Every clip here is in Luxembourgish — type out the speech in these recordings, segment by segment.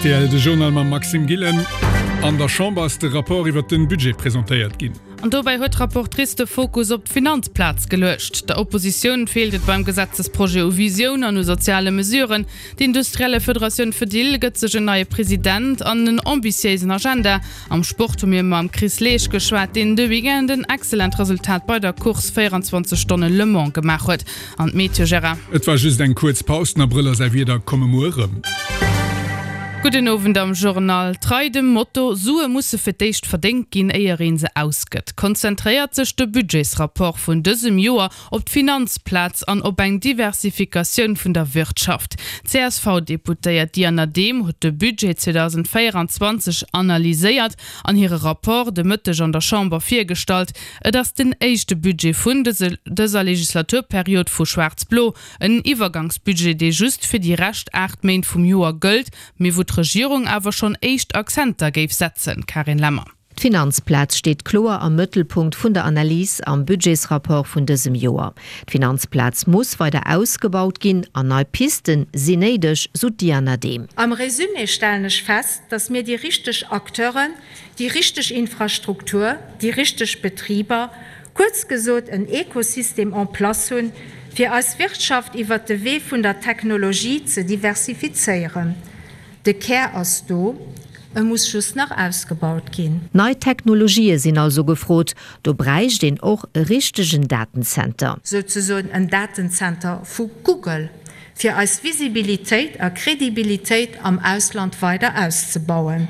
Rtl, De Journal mam Maxime Gillen. An der Chamber ass de Rapport iwwert den Budget presentéiert ginn. An dobäi huet d'Rapportrice de Fokus op d'Finanzplaz geluecht. Der Oppositioun feelt et beim Gesetzesprojet u Visioun an u soziale Mesuren. D'Industriellefederatioun Fedil gëtt sech en neie President an en ambitiéisen Agenda. Am Sport hu mir mam Chris Leesch geschwat, deen de Weekend en excellent Resultat bei der Course 24 Stonne Le Mans gemaach huet. An d'Meteo, Gérard? Et war just eng kuerz Paus, den Abrëll a säi Wieder komme muer erëm. Gudden Owend am Journal. Trei dem Motto Sue musse fir d'éischt verdéngt ginn, éier een se ausgëtt, konzentréiert sech de Budgetsrapport vun dësem Joer op d'Finanzplaz an op eng Diversifikatioun vun der Wirtschaft. D'CSV-Deputéiert Diana Dehm huet de Budget 2024 analyséiert an hire Rapport de Mëtteg an der Chamber virgestallt. Et ass den éischte Budget vun dëser Legislaturperiod vu Schwaarz-Blo, en Iwwergangsbudget, dee just fir déi Rescht 8 Méint vum Joer gëllt, mee wou d'Regierung awer schonn éischt Akzenter géif setzen. Carine Lemmer. D'Finanzplaz steet kloer am Mëttelpunkt vun der Analys am Budgetsrapport vun dësem Joer. D'Finanzplaz muss weider ausgebaut ginn an nei Pisten sinn néideg, sou d'Diana Dehm. Am Résumé stellen ech fest, dass mir déi richteg Acteuren, déi richteg Infrastruktur, déi richteg Betriber, kuerz gesot en Ekosystem en place hunn, fir eis Wirtschaft iwwert de Wee vun der Technologie ze diversifizéieren. De Kär ass do, e muss just nach ausgebaut ginn. Nei Technologië sinn also gefrot. Do bräicht een och e richtegen Datenzenter. Souzesoen en Datenzenter vu Google, fir eis Visibilitéit a Kredibilitéit am Ausland weider auszebauen.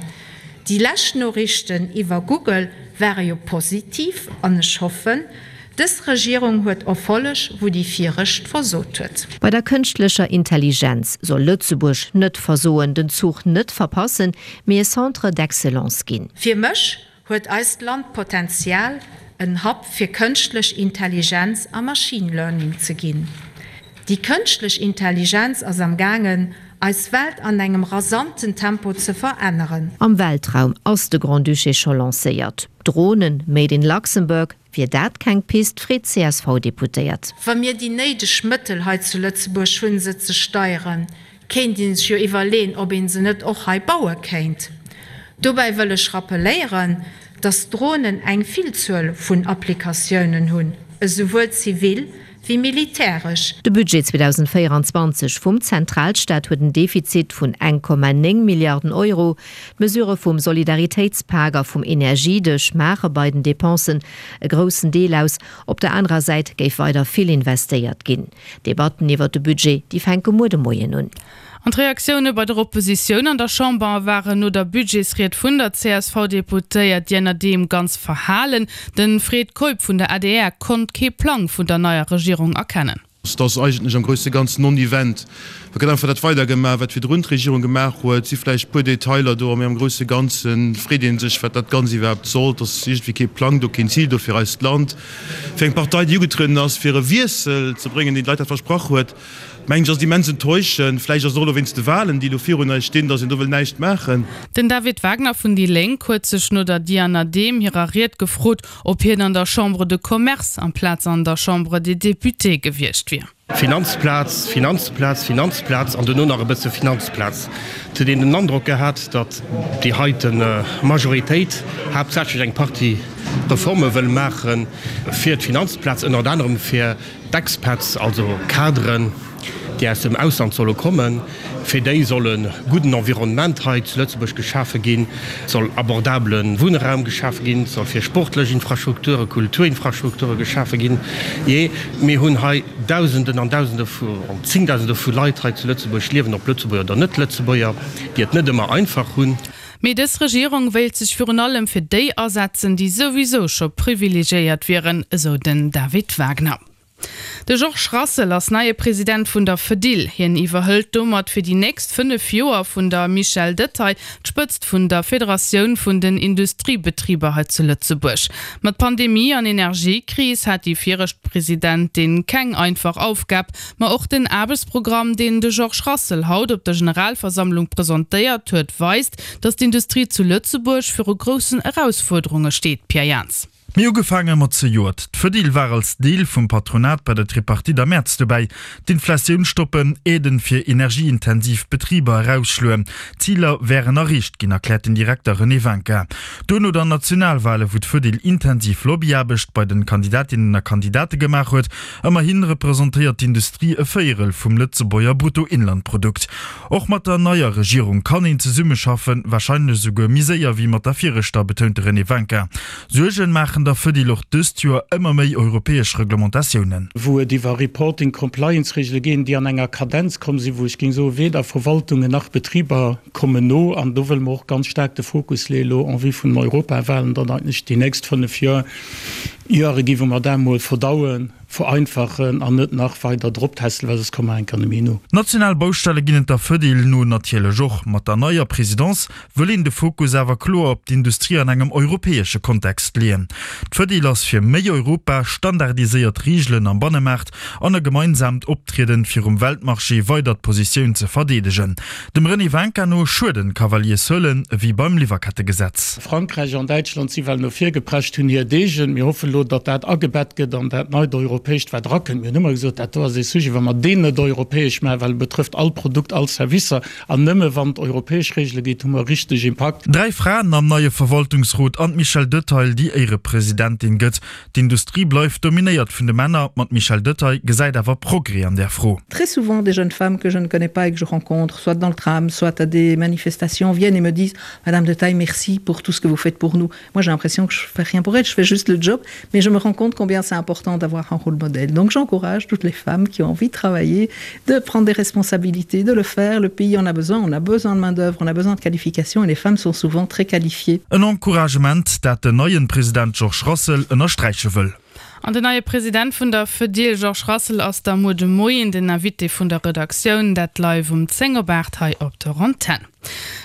Déi lescht Noriichten iwwer Google ware jo positiv an ech hoffen, dës Regierung huet Erfolleg, wou déi viregt versot huet. Bei der kënschtlecher Intelligenz soll Lëtzebuerg net versoen, den Zuch net verpassen, mee e Centre d'excellence ginn. Fir mech huet eist Land d'Potenzial, en Hub fir kënschtlech Intelligenz a Machine Learning ze ginn. Déi kënschtlech Intelligenz ass am gaangen, eis Welt an engem rasanten Tempo ze veränneren. Am Weltraum ass de Grand-Duché scho lancéiert. Dronen made in Luxembourg, wier dat keng Pist, freet d'CSV-Deputéiert. Wa mir déi néideg Mëttel hei zu Lëtzebuerg hunn, se ze steieren, Kéint een sech jo iwwerleen, ob een se net och hei baue kéint. Dobäi wëll ech rappeléieren, dass Dronen eng Villzuel vun Applikatiounen hunn, esouwuel zivil wéi militäresch. De Budget 2024 vum Zentralstaat huet en Defizit vun 1,9 Milliarden Euro. D'Mesurë vum Solidaritéitspak a vum Energiedësch maache bei den Depensen e groussen Deel aus. Op der anerer Säit géif weider vill investéiert ginn. D'Debatten iwwer de Budget, déi fänke muer de Moien un. An d'Reaktioune bei der Oppositioun an der Chamber waren no der Budgetsried vun der CSV-Deputéiert Diana Dehm ganz verhalen. De Fred Keup vun der adr konnt kee Plang vun der neier Regierung erkennen. Et ass eigentlech am grousse Ganzen non-event. Et gëtt einfach dat weidergemaach, wat virdrun d'Regierung gemaach huet. Et si vläicht e puer Detailer do, mee am grousse Ganze freet ee sech, wat dat Ganzt iwwerhaapt soll. Et ass iergendwéi kee Plang do, keen Zil do fir eist Land. Fir eng Partei, déi ugetrueden ass, fir e Wiessel ze bréngen, deen d'Leit dat versprach huet, mengen ech, ass et immens enttäuschend. Vläicht ass et och elo wéinst de Wahlen, déi elo virun eis stinn, datt een do wëll näischt maachen. Den David Wagner vun déi Lénk huet sech no der Diana Dehm hirer Ried gefrot, ob hien an der Chambre de Commerce amplaz an der Chambre des Députés gewiescht wier. Finanzplaz, Finanzplaz, Finanzplaz an duerno nach e bësse Finanzplaz. Et huet een den Androck gehat, datt déi heite Majoritéit haaptsächlech eng Partie Reforme wëll maache fir d'Finanzplaz, ënnert anerem fir d'Expats, also Kaderen, déi aus dem Ausland solle kommen. Fir déi soll e gudden Environnement hei zu Lëtzebuerg geschafe ginn, et soll abordabele Wunnraum geschafe ginn, et soll fir sportlech Infrastrukture, Kulturinfrastrukture geschafe ginn. Jee, mir hunn hei Dausenden an Dausende vu, an Zéngdausende vu Leit hei zu Lëtzebuerg liewen, ob Lëtzebuerger oder Net-Lëtzebuerger, déi et net ëmmer einfach hunn. Mee dës Regierung wéilt sech virun allem fir déi asetzen, déi souwisou scho privilegiéiert wieren, esou den David Wagner. De Georges Rassel ass neie President vun der Fedil. Hien iwwerhëlt domat fir déi nächst 5 Joer vun der Michèle Detaille d'Spëtzt vun der Federatioun vun den Industriebetriber hei zu Lëtzebuerg. Mat Pandemie an Energiekris hat déi viregt Presidentin keng einfach Aufgab. Ma och den Aarbechtsprogramm, deen de Georges Rassel haut op der Generalversammlung presentéiert huet, weist, datt d'Industrie zu Lëtzebuerg viru groussen Erausfuerderunge steet. Pierre Jans. Mee ugefaange mat zejoert. D'Fedil war als Deel vum Patronat bei der Tripartite am Mäerz dobäi. D'Inflatioun stoppen, Aiden fir energieintensiv Betriber erausschloen, d'Ziler wären erreecht ginn, erkläert den Direkter René Winkin. Duerno dann Nationalwale wou d'Fedil intensiv Lobbyaarbecht bei den Kandidatinnen a Kandidate gemaach huet. Ëmmerhi representéiert d'Industrie e Véierel vum Lëtzebuerger Bruttoinlandprodukt. Och mat der neier Regierung kann een zesummeschaffen, warscheinlech esouguer méi séier wéi mat der viregter, betount de René Winkin. Suergen maachen der Fedil och dëst Joer ëmmer méi europäesch Reglementatiounen. Wou et iwwer Reporting, Compliance-Regele ginn, déi an enger Kadenz komm sinn, wou ech géing soen, weder Verwaltungen nach Betriber kommen no. An do wëlle mer och ganz staark de Fokus leeën elo en vue vun den Europawahlen, datt eigentlech déi nächst fënnf Joer Joere ginn, wou mer dat emol verdauen, vereinfachen an net nach weider droptässelen, well soss komme mer enker net méi no. National Baustelle ginn et der Fedil no natierlech och. Mat der neier Presidence wëll een de Fokus awer kloer op d'Industrie an engem europäesche Kontext leeën. D'Fedil ass fir méi Europa, standardiséiert Reegelen am Bannemaart an e gemeinsaamt Optrieden virum Weltmarché weider d'Positioun ze verdeedegen. Dem René Winkin no schueden Cavalier-Seulen ewéi beim Liwwerkettegesetz. Frankräich an Däitschland si well no vir geprescht, hunn hir Deegen. Mir hoffen elo, datt dat agebett gëtt an dat neit europäescht, wat erakënnt. Mir hunn ëmmer gesot, dat do ass ee Sujet, wa mer deen net europäesch maachen, well e betrëfft all Produkt, all Servicer, an nëmme wann et europäesch Regele gétt, hu mer e richteg Impakt. Dräi Fraen am neie Verwaltungsrot an d'Michèle Detaille, déi Éierepresidentin gëtt. D'Industrie bleift dominéiert vun de Männer, ma d'Michèle Detaille gesäit awer Progrès an där Fro. Très souvent des jeunes femmes que je ne connais pas et que je rencontre, soit dans le tram, soit à des manifestations, viennent et me disent Madame Detaille, merci pour tout ce que vous faites pour nous. Moi j'ai l'impression que je fais rien pour elle, je fais juste le job, mais je me rends compte combien c'est important d'avoir un rôle modèle. Donc j'encourage toutes les femmes qui ont envie de travailler, de prendre des responsabilités, de le faire. Le pays en a besoin, on a besoin de main d'œuvre, on a besoin de qualification et les femmes sont souvent très qualifiées. En Encouragement, dat den neien President Georges Rassel ënnersträiche wëll. An den neie President vun der Fedil, Georges Rassel, ass da muer de Moien den Invité vun der Redaktioun, dat live um 10 op 8 hei op der Antenn.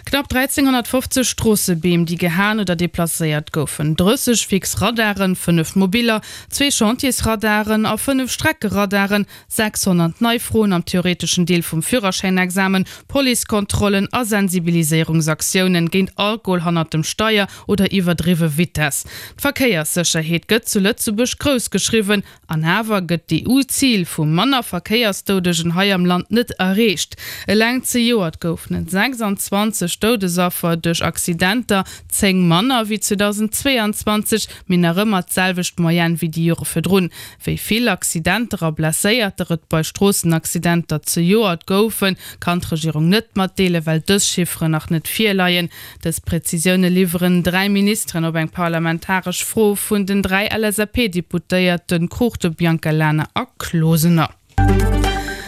Knapp 1.350 Stroossebeem, déi gehaen oder deplacéiert goufen, 30 fix Radaren, 5 mobiller, zwee Chantiersradaren a 5 Streckeradaren, 600 nei Froen am theoreteschen Deel vum Führerschäinexamen, Policekontrollen a Sensibiliséierungsaktiounen géint Alkohol hannert dem Steier oder iwwerdriwwe Vitess. D'Verkéierssécherheet gëtt zu Lëtzebuerg grouss geschriwwen. An awer gëtt d'EU-Zil vu manner Verkéiersdoudegen hei am Land net erreecht. Eleng zejoert goufen et 26 Doudesaffer duerch Accidenter, 10 manner wéi 2022, mee nach ëmmer d'selwecht Moyenne wéi déi Jore virdrun. Wéi vill Accidenter a Blesséierter et bei Stroossenaccidenter zejoert goufen, kann d'Regierung net matdeelen, well dës Chifferen nach net virleien. Dës Prezisioune liwweren 3 Ministeren op eng parlamentaresch Fro vun den 3 LSAP-Deputéierte Cruchten, Biancalana a Closener.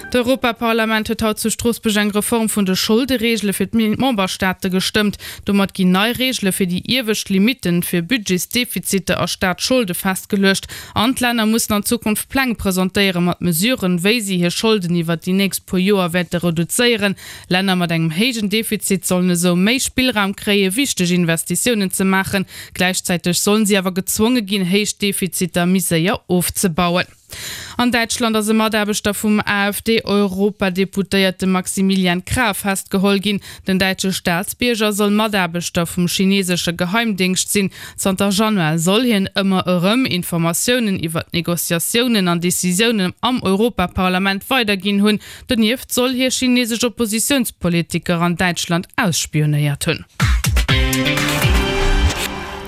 D'Europaparlament huet haut zu Stroossbuerg eng Reform vun de Scholdereegele fir d'Memberstaate gestëmmt. Domat ginn nei Reegele fir déi iewescht Limitten fir Budgetsdefiziter a Staatsscholde festgeluecht. An d'Länner mussen an Zukunft Pläng presentéiere mat Mesuren, wéi si hir Scholden iwwert déi nächst puer Joer wäerte reduzéieren. Länner mat engem héijen Defizit sollen esou méi Spillraum kréien, wichteg Investitiounen ze maachen. Gläichzäiteg sollen si awer gezwonge ginn, héich Defiziter méi séier ofzebauen. An Däitschland ass e Mataarbechter vum AfD-Europadeputéierte Maximilian Krah festgeholl ginn. Den däitsche Staatsbierger soll Mataarbechter vum chinesesche Geheimdéngscht sinn. Zanter Januar soll hien ëmmer erëm Informatiounen iwwer d'Negociatiounen an Decisiounen am Europaparlament weiderginn hunn. Donieft soll hie chinesesch Oppositiounspolitiker an Däitschland ausspionéiert hunn.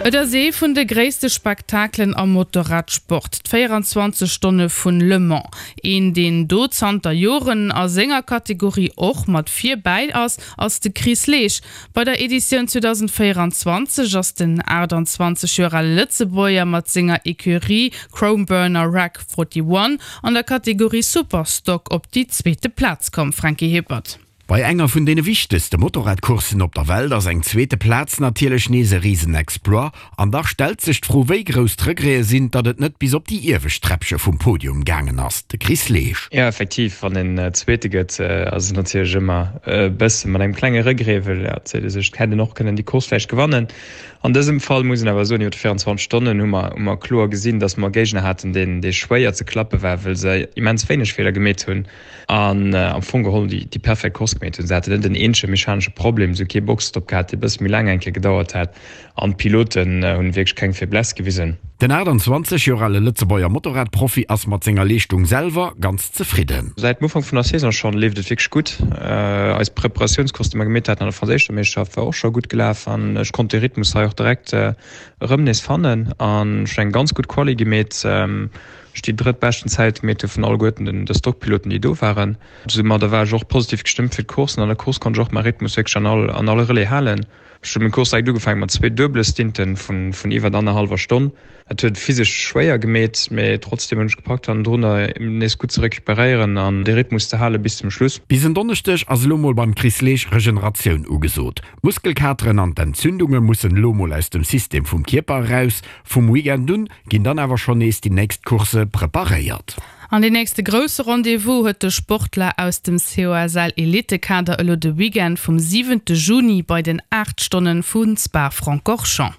Et ass ee vun de gréisste Spektakelen am Motorradsport, d'24 Stonne vun Le Mans. Een deen do zanter Joren a senger Kategorie och mat vir bäi ass, ass de Chris Leesch. Bei der Editioun 2024 ass den 28 Joer ale Lëtzebuerger mat senger Ecurie Chromeburner Rack 41 an der Kategorie Superstock op déi zweete Plaz komm, Franky Hippert. Bei enger vun deene wichtegste Motorradcourssen op der Welt ass eng zweete Plaz natierlech nees e Risenexploit. An dach stellt sech d'Fro, wéi grouss d'Regrete sinn, datt et net bis op déi iewescht Träppche vum Podium gaangen ass. De Chris Leesch. Jo, effektiv, wann een Zweete gëtt, ass et natierlech ëmmer e bësse mat engem klenge Regret, well et seet ee sech, et hätt een och kënnen déi Course vläicht gewannen. An dësem Fall muss een awer soen, iwwer 24 Stonnen hu mer, hu mer kloer gesinn, datt mer e Géigner haten, deen, dee schwéier ze klappe war, well se immens wéineg Feeler gemeet hunn an am Fong geholl déi, déi perfekt Course. gemeet hunn. Se haten net en eenzege mechanesche Problem, se hu kee Boxestopp gehat, dee e bësse méi laang eng Kéier gedauert hat an d'Piloten hunn wierklech keng Faiblesse gewisen. Den 28 Joer ale Lëtzebuerger Motorradprofi ass mat senger Leeschtung selwer ganz zefridden. Säit dem Ufank vun der Saison schonn leeft et wierklech gutt. Eis Preparatiounscourse, déi mer gemeet haten an der franséischer Meeschterschaft, war och scho gutt gelaf an ech konnt de Rhythmus hei och direkt erëm nees fannen an ech hunn eng ganz gutt Quali gemeet. Ech déi drëttbeschten Zäit gemeet hu vun alleguerten den de Stockpiloten, déi do waren. Soumadder war ech och positiv gestëmmt fir d'Course an an der Course konnt ech och mäi Rhythmus wierklech an all an all Relais halen. Ech hu meng Course direkt ugefaangen mat zwee duebele Stinten vun vun iwwert annerhallwer Stonn. Dat huet physesch schwéier gemeet, mee trotzdem hunn ech gepackt hannendrunner nees gutt ze recuperéieren an de Rhythmus ze hale bis zum Schluss. Bis en Donneschdeg ass elo mol beim Chris Leesch Regeneratioun ugesot. D'Muskelkateren an d'Entzündunge mussen elo mol aus dem System vum Kierper eraus. Vum Weekend un ginn dann awer schonn nees déi nächst Coursse preparéiert. An deen nächste grousse Rendez-vous huet de Sportler aus dem COSL Elitekader elo de Weekend vum siwente Juni bei den 8 Stonnen vu Spa-Francorchamps.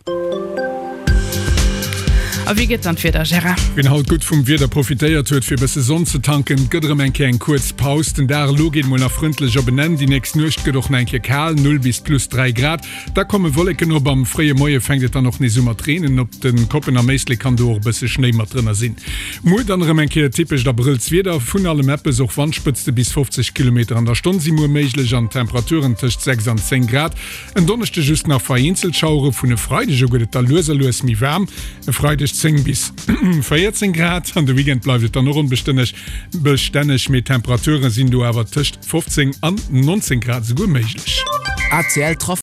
A wéi gëtt dann d'Wieder, Gérard? Wien haut gutt vum Wieder profitéiert huet fir e bësse Sonn ze tanken, gëtt erëm eng Kéier eng kuerz Paus. Den Dag elo geet mol nach frëndlech op en Enn, déi nächst Nuecht gëtt och nach eng Kéier kal, 0 bis plus 3 Grad. Da komme Wolleken op, am fréie Moie fänkt et dann och nees u mat reenen. Op de Koppen am Éislek kann do och e bësse Schnéi mat drënner sinn. Muer dann erëm eng Kéier typescht Abrëllswieder, vun allem eppes, och Wandspëtzte bis 50 Kilometer an der Stonn si muer méiglech an Temperaturen tëscht 6 an 10 Grad. En Donneschde just nach vereenzelt Schauere, vun e Freideg u gëtt et da lues a lues méi waarm, e Freideg 10 bis 14 Grad. An de Weekend bleift et dann och onbestänneg, bestänneg, mee d'Temperature sinn do awer tëscht 15 an 19 Grad esouguer méiglech. ACL Trafic.